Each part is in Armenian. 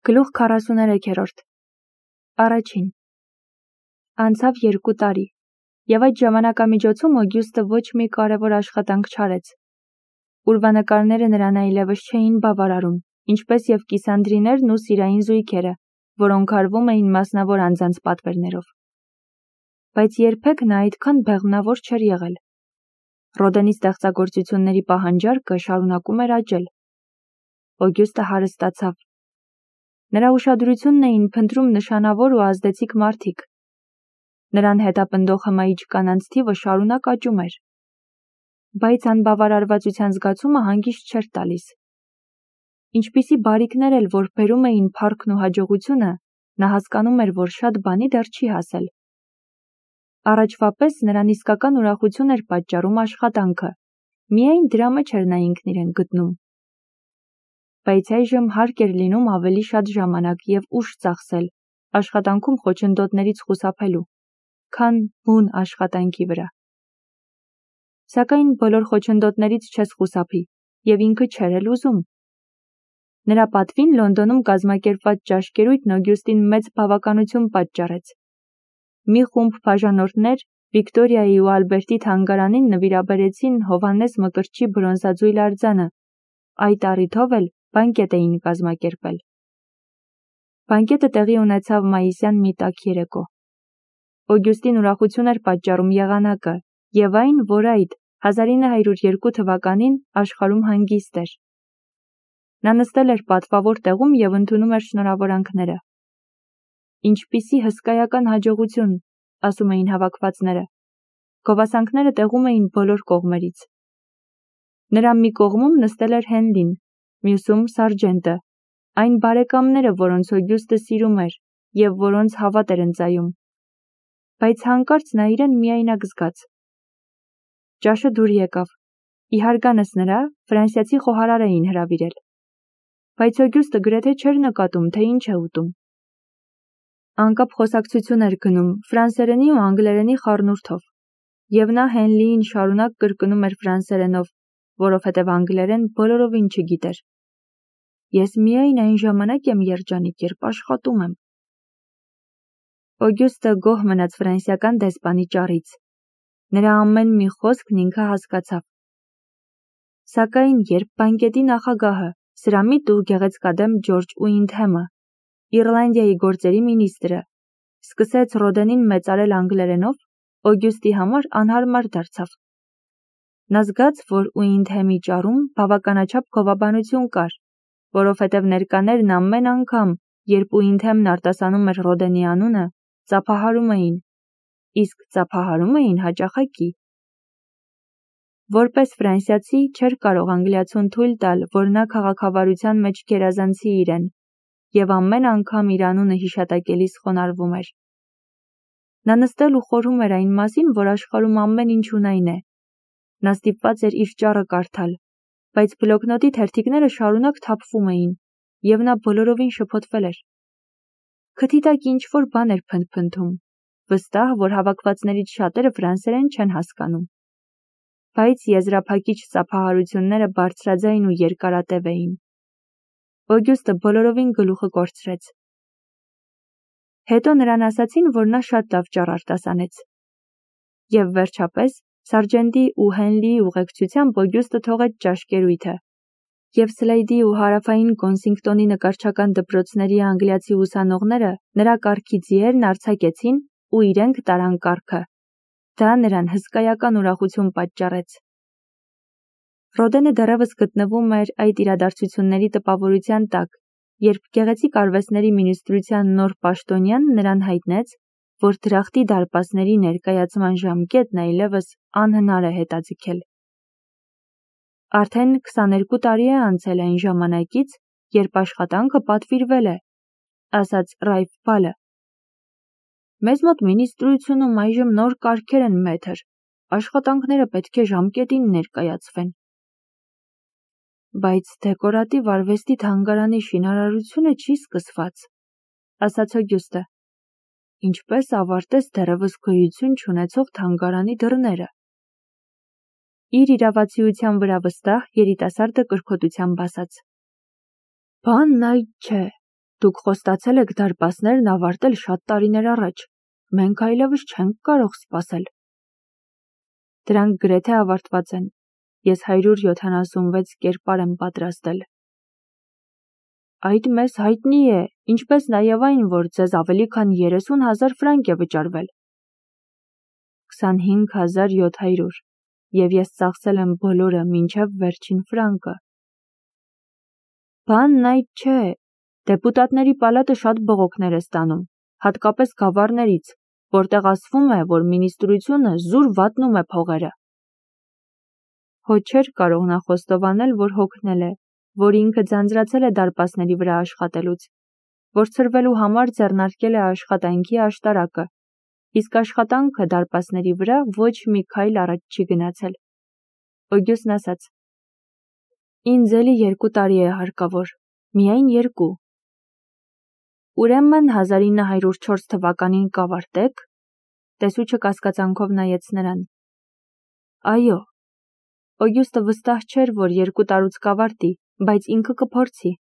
Գլուխ 43-րդ Առաջին Անցավ 2 տարի, և այդ ժամանակամիջոցում Օգյուստը ոչ մի կարևոր աշխատանք չարեց։ Ուրվանկարները նրան այլևս չէին բավարարում, ինչպես և կիսանդրիներն ու սիրային զույգերը, որոնք արվում էին մասնավոր անձանց պատվերներով։ Բայց երբեք նա այդքան բեղմնավոր չէր եղել։ Ռոդենի ստեղծագործությունների պահանջարկը շարունակում էր աճել։ Օգյուստը հարստացավ։ Նրա ուշադրությունն էին փնտրում նշանավոր ու ազդեցիկ մարդիկ։ Նրան հետապնդող հմայիչ կանանց թիվը շարունակ աճում էր։ Բայց անբավարարվածության զգացումը հանգիստ չէր տալիս։ Ինչպիսի բարիքներ էլ որ բերում էին փառքն ու հաջողությունը, նա հասկանում էր, որ շատ բանի դեռ չի հասել։ Առաջվա պես նրան իսկական ուրախություն էր պատճառում աշխատանքը, միայն դրա մեջ էր նա ինքն իրեն գտնում։ Բայց այժմ հարկ էր լինում ավելի շատ ժամանակ և ուժ ծախսել աշխատանքում խոչընդոտներից խուսափելու, քան բուն աշխատանքի վրա։ Սակայն բոլոր խոչընդոտներից չես խուսափի, և ինքը չէր էլ ուզում։ Նրա պատվին Լոնդոնում կազմակերպված ճաշկերույթն Օգյուստին մեծ բավականություն պատճառեց։ Մի խումբ բաժանորդներ Վիկտորիայի ու Ալբերտի թանգարանին նվիրաբերեցին Հովհաննես Մկրտչի բրոնզաձույլ արձանը, այդ առիթով էլ բանկետ էին կազմակերպել։ Բանկետը տեղի ունեցավ մայիսյան մի տաք երեկո։ Օգյուստին ուրախություն էր պատճառում եղանակը և այն, որ այդ 1902 թվականին աշխարհում հանգիստ էր։ Նա նստել էր պատվավոր տեղում և ընդունում էր շնորհավորանքները։ Ինչպիսի հսկայական հաջողություն, ասում էին հավաքվածները։ Գովասանքները տեղում էին բոլոր կողմերից։ Նրա մի կողմում նստել էր Հենլին, մյուսում Սարժենտը, այն բարեկամները, որոնց Օգյուստը սիրում էր և որոնց հավատ էր ընծայում։ Բայց հանկարծ նա իրեն միայնակ զգաց։ Ճաշը դուր եկավ։ Իհարգանս նրա ֆրանսիացի խոհարար էին հրավիրել։ Բայց Օգյուստը գրեթե չէր նկատում, թե ինչ է ուտում։ Անկապ խոսակցություն էր գնում ֆրանսերենի ու անգլերենի խառնուրդով, և նա Հենլիին շարունակ կրկնում էր ֆրանսերենով, որովհետև անգլերեն բոլորովին չգիտեր։ Ես միայն այն ժամանակ եմ երջանիկ, երբ աշխատում եմ։ Օգյուստը գոհ մնաց ֆրանսիական դեսպանի ճառից։ Նրա ամեն մի խոսքն ինքը հասկացավ։ Սակայն երբ բանկետի նախագահը, սրամիտ ու գեղեցկադեմ Ջորջ Ուինդհեմը, Իռլանդիայի գործերի մինիստրը, սկսեց Ռոդենին մեծարել անգլերենով, Օգյուստի համար անհարմար դարձավ։ Նա զգաց, որ Ուինդհեմի ճառում բավականաչափ գովաբանություն կար, որովհետև ներկաներն ամեն անգամ, երբ Ուինդհեմն արտասանում էր Ռոդենի անունը, ծափահարում էին, իսկ ծափահարում էին հաճախակի։ Որպես ֆրանսիացի չէր կարող անգլիացուն թույլ տալ, որ նա քաղաքավարության մեջ գերազանցի իրեն, և ամեն անգամ իր անունը հիշատակելիս խոնարհվում էր։ Նա նստել ու խորհում էր այն մասին, որ աշխարհում ամեն ինչ ունայն է։ Նա ստիպված էր իր ճառը կարդալ, բայց բլոկնոտի թերթիկները շարունակ թափվում էին, և նա բոլորովին շփոթվել էր։ Քթի տակ ինչ-որ բան էր փնթփնթում, վստահ, որ հավաքվածներից շատերը ֆրանսերեն չեն հասկանում։ Բայց եզրափակիչ ծափահարությունները բարձրաձայն ու երկարատև էին։ Օգյուստը բոլորովին գլուխը կորցրեց։ Հետո նրան ասացին, որ նա շատ լավ ճառ արտասանեց։ Եվ վերջապես, Սարժենտի ու Հենլիի ուղեկցությամբ Օգյուստը թողեց ճաշկերույթը, և Սլեյդի ու Հարավային Կոնսինգտոնի նկարչական դպրոցների անգլիացի ուսանողները նրա կառքի ձիերն արձակեցին ու իրենք տարան կառքը։ Դա նրան հսկայական ուրախություն պատճառեց։ Ռոդենը դեռևս գտնվում էր այդ իրադարձությունների տպավորության տակ, երբ գեղեցիկ արվեստների մինիստրության նոր պաշտոնյան նրան հայտնեց, որ դրախտի դարպասների ներկայացման ժամկետն այլևս անհնար է հետաձգել։ Արդեն 22 տարի է անցել այն ժամանակից, երբ աշխատանքը պատվիրվել է, ասաց Ռայֆ Բալը։ Մեզ մոտ մինիստրությունում այժմ նոր կարգեր են, մեթր, աշխատանքները պետք է ժամկետին ներկայացվեն։ Բայց դեկորատիվ արվեստի թանգարանի շինարարությունը չի սկսված, ասաց Օգյուստը։ Ինչպես ավարտես դեռևս գոյություն չունեցող թանգարանի դռները։ Իր իրավացիության վրա վստահ երիտասարդը կրքոտությամբ ասաց. Բանն այդ չէ, Դուք խոստացել եք դարպասներն ավարտել շատ տարիներ առաջ, մենք այլևս չենք կարող սպասել։ Դրանք գրեթե ավարտված են, ես 176 կերպար եմ պատրաստել։ Այդ մեզ հայտնի է, ինչպես նաև այն, որ ձեզ ավելի քան 30,000 ֆրանկ է վճարվել։ 25,700, և ես ծախսել եմ բոլորը մինչև վերջին ֆրանկը։ Բանն այդ չէ, դեպուտատների պալատը շատ բողոքներ է ստանում, հատկապես գավառներից, որտեղ ասվում է, որ մինիստրությունը զուր վատնում է փողերը։ Հո չէր կարող նա խոստովանել, որ հոգնել է, որ ինքը ձանձրացել է դարպասների վրա աշխատելուց, որ ցրվելու համար ձեռնարկել է աշխատանքի աշտարակը, իսկ աշխատանքը դարպասների վրա ոչ մի քայլ առաջ չի գնացել։ Օգյուստն ասաց. Ինձ էլի 2 տարի է հարկավոր, միայն 2։ Ուրեմն 1904 թվականին կավարտեք, տեսուչը կասկածանքով նայեց նրան։ Այո, Օգյուստը վստահ չէր, որ 2 տարուց կավարտի, բայց ինքը կփորձի։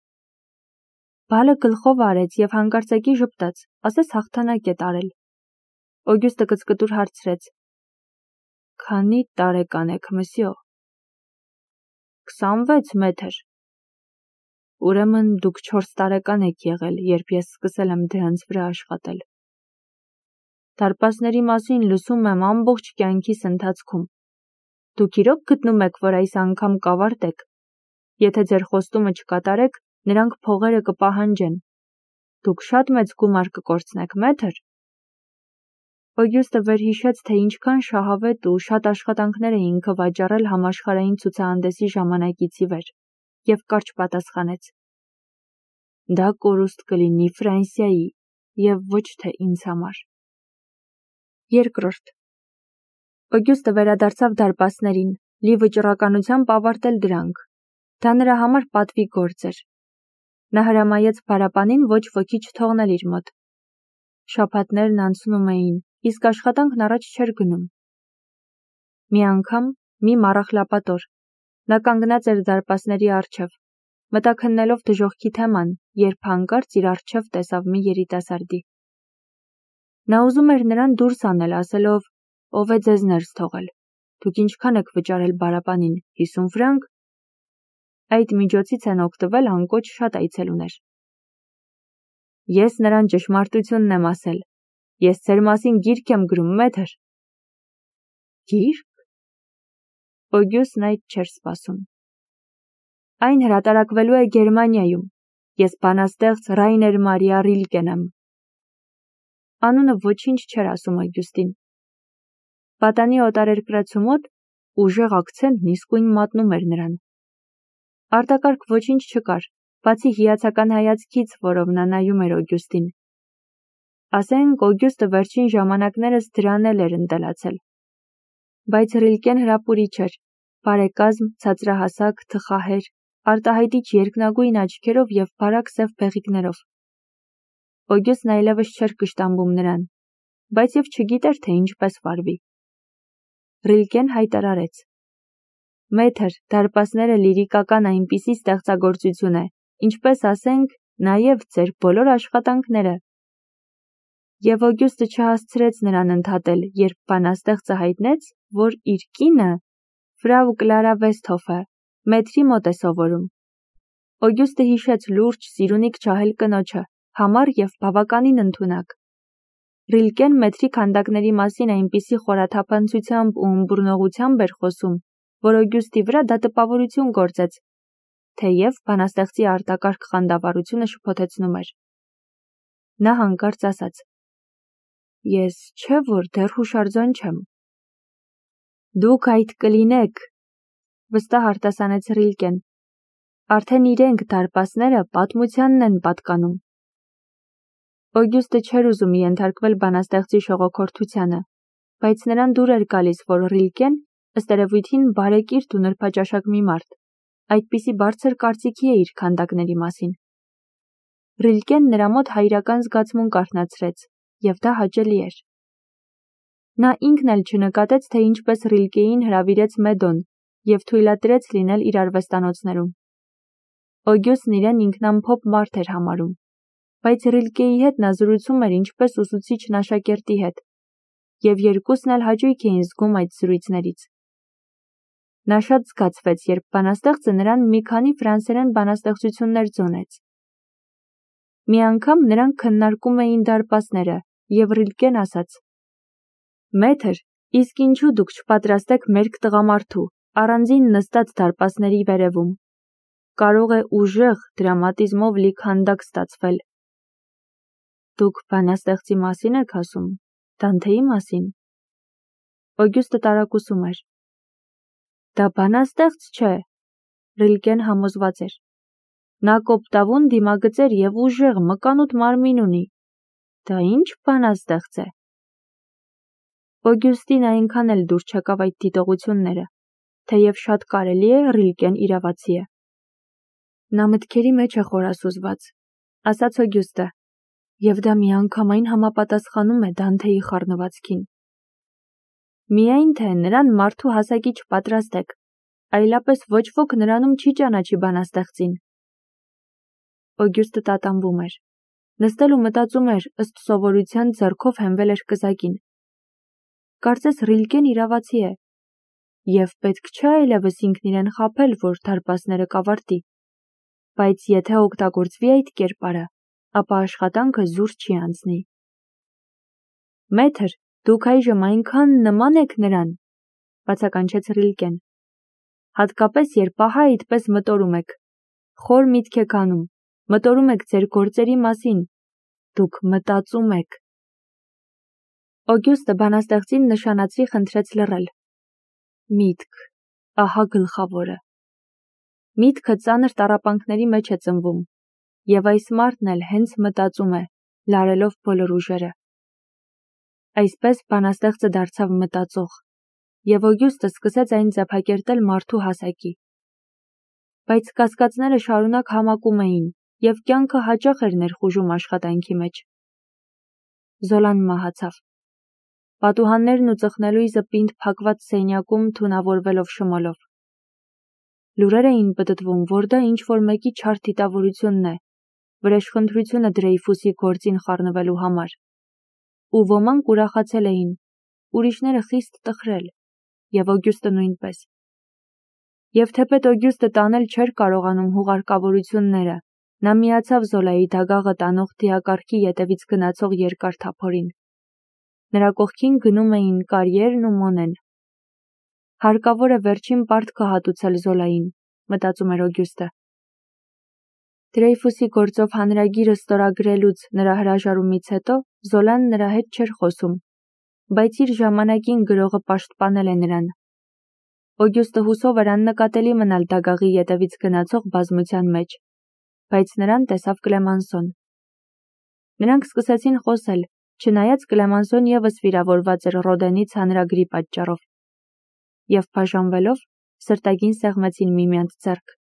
Բալը գլխով արեց և հանկարծակի ժպտաց, ասես հաղթանակ է տարել։ Օգյուստը կծկտուր հարցրեց. Քանի տարեկան եք, մսյո։ 26 մետր։ Ուրեմն դուք 4 տարեկան եք եղել, երբ ես սկսել եմ դրանց վրա աշխատել։ Դարպասների մասին լսում եմ ամբողջ կյանքիս ընթացքում։ Դուք իրոք գտնում եք, որ այս անգամ կավարտեք։ Եթե ձեր խոստումը չկատարեք, նրանք փողերը կպահանջեն։ Դուք շատ մեծ գումար կկորցնեք, մետր։ Օգյուստը վերհիշեց, թե ինչքան շահավետ ու շատ աշխատանքներ է ինքը վաճառել համաշխարհային ցուցահանդեսի ժամանակից ի վեր, և կարճ պատասխանեց. Դա կորուստ կլինի Ֆրանսիայի, և ոչ թե ինձ համար։ Երկրորդ. Օգյուստը վերադարձավ դարպասներին, լի վճռականությամբ ավարտել դրանք։ Դա նրա համար պատվի գործ էր։ Նա հրամայեց փարապանին ոչ ոքի չթողնել իր մոտ։ Շաբաթներն անցնում էին, իսկ աշխատանքն առաջ չէր գնում։ Մի անգամ, մի մառախլապատոր, նա կանգնած էր դարպասների առջև, մտաքննելով դժոխքի թեման, երբ հանկարծ իր առջև տեսավ մի երիտասարդի։ Նա ուզում էր նրան դուրս անել, ասելով. Ով է ձեզ ներս թողել։ Դուք ինչքան եք վճարել բարապանին, 50 ֆրանկ։ Այդ միջոցից են օգտվել անկոչ շատ այցելուներ։ Ես նրան ճշմարտությունն եմ ասել։ Ես ձեր մասին գիրք եմ գրում, մետր։ Գիրք։ Օգյուստն այդ չէր սպասում։ Այն հրատարակվելու է Գերմանիայում։ Ես բանաստեղծ Ռայներ Մարիա Ռիլկեն եմ։ Անունը ոչինչ չէր ասում Օգյուստին։ Պատանի օտարերկրացու մոտ ուժեղ ակցենտն իսկույն մատնում էր նրան։ Արտակարգ ոչինչ չկար, բացի հիացական հայացքից, որով նա նայում էր Օգյուստին։ Ասենք, Օգյուստը վերջին ժամանակներս դրան էլ էր ընտելացել։ Բայց Ռիլկեն հրապուրիչ էր, բարեկազմ, ցածրահասակ, թխահեր, արտահայտիչ երկնագույն աչքերով և բարակ սև բեղիկներով։ Օգյուստն այլևս չէր կշտամբում նրան, բայց և չգիտեր, թե ինչպես վարվի։ Ռիլկեն հայտարարեց. Մեթր, դարպասները լիրիկական այնպիսի ստեղծագործություն է, ինչպես ասենք, նաև ձեր բոլոր աշխատանքները։ Եվ Օգյուստը չհասցրեց նրան ընդհատել, երբ բանաստեղծը հայտնեց, որ իր կինը Ֆրау Կլարա Վեսթհոֆը մեթրի մոտ է սովորում։ Օգյուստը հիշեց լուրջ, սիրունիկ ջահել կնոջը, համառ և բավականին ընդունակ։ Ռիլկեն մեթրի քանդակների մասին այնպիսի խորաթափանցությամբ ու ըմբռնողությամբ էր խոսում, որ Օգյուստի վրա դա տպավորություն գործեց, թեև բանաստեղծի արտակարգ խանդավառությունը շփոթեցնում էր։ Նա հանկարծ ասաց. Ես չէ որ դեռ հուշարձան չեմ։ Դուք այդ կլինեք, վստահ արտասանեց Ռիլկեն։ Արդեն իրենք դարպասները պատմությանն են պատկանում։ Օգյուստը չէր ուզում ենթարկվել բանաստեղծի շողոքորթությանը, բայց նրան դուր էր գալիս, որ Ռիլկեն, ըստ երևույթին, բարեկիրթ ու նրբաճաշակ մի մարդ, այդպիսի բարձր կարծիքի է իր քանդակների մասին։ Ռիլկեն նրա մոտ հայրական զգացմունք արթնացրեց, և դա հաճելի էր։ Նա ինքն էլ չնկատեց, թե ինչպես Ռիլկեին հրավիրեց Մեդոն և թույլատրեց լինել իր արվեստանոցներում։ Օգյուստն իրեն ինքնամփոփ մարդ էր համարում։ Բայց Ռիլկեի հետ նա զրուցում էր ինչպես ուսուցիչն աշակերտի հետ, և երկուսն էլ հաճույք էին զգում այդ զրույցներից։ Նա շատ զգացվեց, երբ բանաստեղծը նրան մի քանի ֆրանսերեն բանաստեղծություններ ձոնեց։ Մի անգամ նրանք քննարկում էին դարպասները, և Ռիլկեն ասաց. «Մեթր, իսկ ինչու դուք չպատրաստեք մերկ տղամարդու, առանձին նստած դարպասների վերևում։ Կարող է ուժեղ դրամատիզմով լի քանդակ ստացվել»։ Դուք բանաստեղծի մասին եք ասում, Դանթեի մասին։ Օգյուստը տարակուսում էր։ Դա բանաստեղծ չէ, Ռիլկեն համոզված էր։ Նա կոպտավուն դիմագծեր և ուժեղ մկանուտ մարմին ունի։ Դա ինչ բանաստեղծ է։ Օգյուստին այնքան էլ դուր չեկավ այդ դիտողությունները, թեև շատ կարելի է Ռիլկեն իրավացի է։ Նա մտքերի մեջ է խորասուզված, ասաց Օգյուստը, և դա միանգամայն համապատասխանում է Դանթեի խառնվածքին։ Միայն թե նրան մարդու հասակի չպատրաստեք, այլապես ոչ ոք նրանում չի ճանաչի բանաստեղծին։ Օգյուստը տատանվում էր։ Նստել ու մտածում էր, ըստ սովորության ձեռքով հենվել էր կզակին։ Կարծես Ռիլկեն իրավացի է, և պետք չէ այլևս ինքն իրեն խաբել, որ դարպասները կավարտի։ Բայց եթե օգտագործվի այդ կերպարը, ապա աշխատանքը զուր չի անցնի։ Մեթր, դուք այժմ այնքան նման եք նրան, բացականչեց Ռիլկեն։ Հատկապես երբ ահա այդպես մտորում եք, խոր միտք եք անում, մտորում եք ձեր գործերի մասին, դուք մտածում եք։ Օգյուստը բանաստեղծին նշանացրի խնդրեց լռել։ Միտք, ահա գլխավորը։ Միտքը ծանր տառապանքների մեջ է ծնվում, և այս մարդն էլ հենց մտածում է, լարելով բոլոր ուժերը։ Այսպես բանաստեղծը դարձավ մտածող, և Օգյուստը սկսեց այն ձևակերտել մարդու հասակի։ Բայց կասկածները շարունակ համակում էին, և կյանքը հաճախ էր ներխուժում աշխատանքի մեջ։ Զոլան մահացավ։ Պատուհաններն ու ծխնելույզը պինդ փակված սենյակում թունավորվելով շմոլով։ Լուրեր էին պտտվում, որ դա ինչ-որ մեկի չար դիտավորությունն է, վրեժխնդրությունը Դրեյֆուսի գործին խառնվելու համար։ Ու ոմանք ուրախացել էին, ուրիշները խիստ տխրել, և Օգյուստը նույնպես։ Եվ թեպետ Օգյուստը տանել չէր կարողանում հուղարկավորությունները, նա միացավ Զոլայի դագաղը տանող դիակառքի ետևից գնացող երկար թափորին։ Նրա կողքին գնում էին Կարիերն ու Մոնեն։ Հարկավոր է վերջին պարտքը հատուցել Զոլային, մտածում էր Օգյուստը։ Դրեյֆուսի գործով հանրագիրը ստորագրելուց նրա հրաժարումից հետո Զոլան նրա հետ չէր խոսում, բայց իր ժամանակին գրողը պաշտպանել է նրան։ Օգյուստը հուսով էր աննկատելի մնալ դագաղի ետևից գնացող բազմության մեջ, բայց նրան տեսավ Կլեմանսոն։ Նրանք սկսեցին խոսել, չնայած Կլեմանսոն ևս վիրավորված էր Ռոդենից հանրագրի պատճառով։ Եվ բաժանվելով, սրտագին սեղմեցին միմյանց ձեռք։